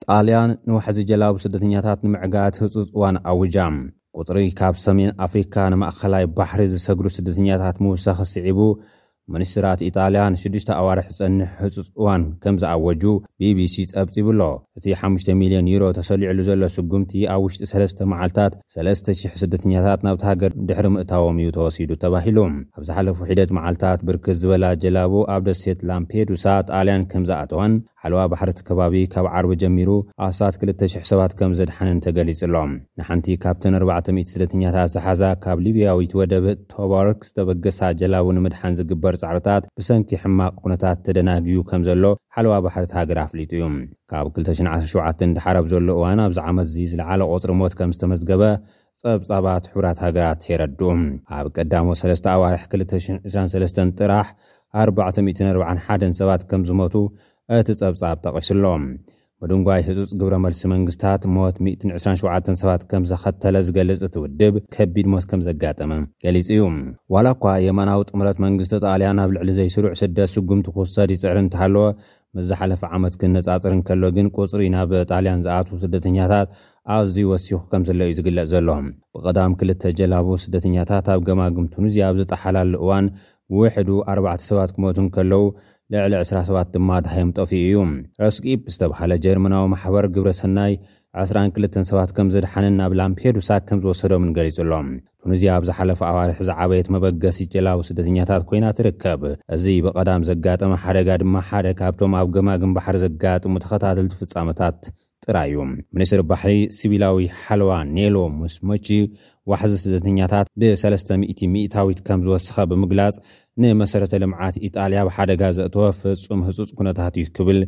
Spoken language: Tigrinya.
ጣልያን ንዋሕዚ ጀላቡ ስደተኛታት ንምዕጋት ህጹጽ እዋን ኣውጃ። ቁጽሪ ካብ ሰሜን ኣፍሪካ ንማእኸላይ ባሕሪ ዝሰግሩ ስደተኛታት ምውሳኽ ስዒቡ፣ ሚኒስትራት ኢጣልያ ንሽዱሽተ ኣዋርሕ ዝጸንሕ ህጹጽ እዋን ከም ዝኣወጁ ቢቢሲ ጸብጺቡ ኣሎ። እቲ ሓሙሽተ ሚልዮን ዩሮ ተሰሊዕሉ ዘሎ ስጉምቲ ኣብ ውሽጢ ሰለስተ መዓልታት ሰለስተ ሽሕ ስደተኛታት ናብቲ ሃገር ድሕሪ ምእታዎም እዩ ተወሲዱ ተባሂሉ። ኣብ ዝሓለፉ ሒደት መዓልታት ብርክት ዝበላ ጀላቡ ኣብ ደሴት ላምፔዱሳ ጣልያን ከም ዝኣተዋን ሓለዋ ባሕሪ እቲ ከባቢ ካብ ዓርቢ ጀሚሩ ኣስታት ክልተ ሽሕ ሰባት ከም ዘድሓነን ተገሊጹ ኣሎ። ንሓንቲ ካብተን ኣርባዕተ ሚእቲ ስደተኛታት ዝሓዛ ካብ ሊብያዊት ወደብ ቶባርክ ዝተበገሳ ጀላቡ ንምድሓን ዝግበር ጻዕርታት ብሰንኪ ሕማቕ ኩነታት ተደናግዩ ከም ዘሎ ሓለዋ ባሕሪ እቲ ሃገር ኣፍሊጡ እዩ። ካብ ክልተ ሽሕን ዓሰርተ ሸውዓተን ድሓር ኣብ ዘሎ እዋን ኣብዚ ዓመት እዚ ዝለዓለ ቁጽሪ ሞት ከም ዝተመዝገበ ጸብጻባት ሕቡራት ሃገራት የረድኡ። ኣብ ቀዳሞ ሰለስተ ኣዋርሕ ክልተ ሽሕን ዕስራን ሰለስተን ጥራሕ ኣርባዕተ ሚእትን ኣርባዓን ሓደን ሰባት ከም ዝሞቱ እቲ ጸብጻብ ጠቒሱ ኣሎ። ምድንጓይ ህጹጽ ግብረ መልሲ መንግስታት ሞት ሚእትን ዕስራን ሸውዓተን ሰባት ከም ዘኸተለ ዝገልጽ እቲ ውድብ፣ ከቢድ ሞት ከም ዘጋጠመ ገሊጹ እዩ። ዋላ እኳ የማናዊ ጥምረት መንግስቲ ጣልያን ኣብ ልዕሊ ዘይስሩዕ ስደት ስጉምቲ ክውሰድ ይጽዕር እንተሃለወ፣ ምስ ዝሓለፈ ዓመት ክነጻጽር እንከሎ ግን ቁጽሪ ናብ ጣልያን ዝኣትዉ ስደተኛታት ኣዝዩ ወሲኹ ከም ዘሎ እዩ ዝግለጽ ዘሎ። ብቐዳም ክልተ ጀላቡ ስደተኛታት ኣብ ገማግም ቱኒዝያ ኣብ ዝጠሓላሉ እዋን ውሕዱ ኣርባዕተ ሰባት ክሞቱ እንከለዉ፣ ልዕሊ ዕስራ ሰባት ድማ ደሃዮም ጠፊኡ እዩ። ረስጊፕ ዝተባህለ ጀርመናዊ ማሕበር ግብረ ሰናይ ዕስራን ክልተን ሰባት ከም ዘድሓነን ናብ ላምፔዱሳ ከም ዝወሰዶምን ገሊጹ ኣሎ። ቱኒዝያ ኣብ ዝሓለፈ ኣዋርሕ ዝዓበየት መበገሲት ጀላቡ ስደተኛታት ኮይና ትርከብ። እዚ ብቐዳም ዘጋጠመ ሓደጋ ድማ ሓደ ካብቶም ኣብ ገማግም ባሕሪ ዘጋጥሙ ተኸታተልቲ ፍጻመታት ጥራይ እዩ። ሚኒስትር ባሕሪ ሲቪላዊ ሓለዋ ኔሎ ሙስሞቺ፣ ዋሕዚ ስደተኛታት ብ ሰለስተ ሚእቲ ሚእታዊት ከም ዝወሰኸ ብምግላጽ፣ ንመሰረተ ልምዓት ኢጣልያ ኣብ ሓደጋ ዘእተወ ፍጹም ህጹጽ ኩነታት እዩ ክብል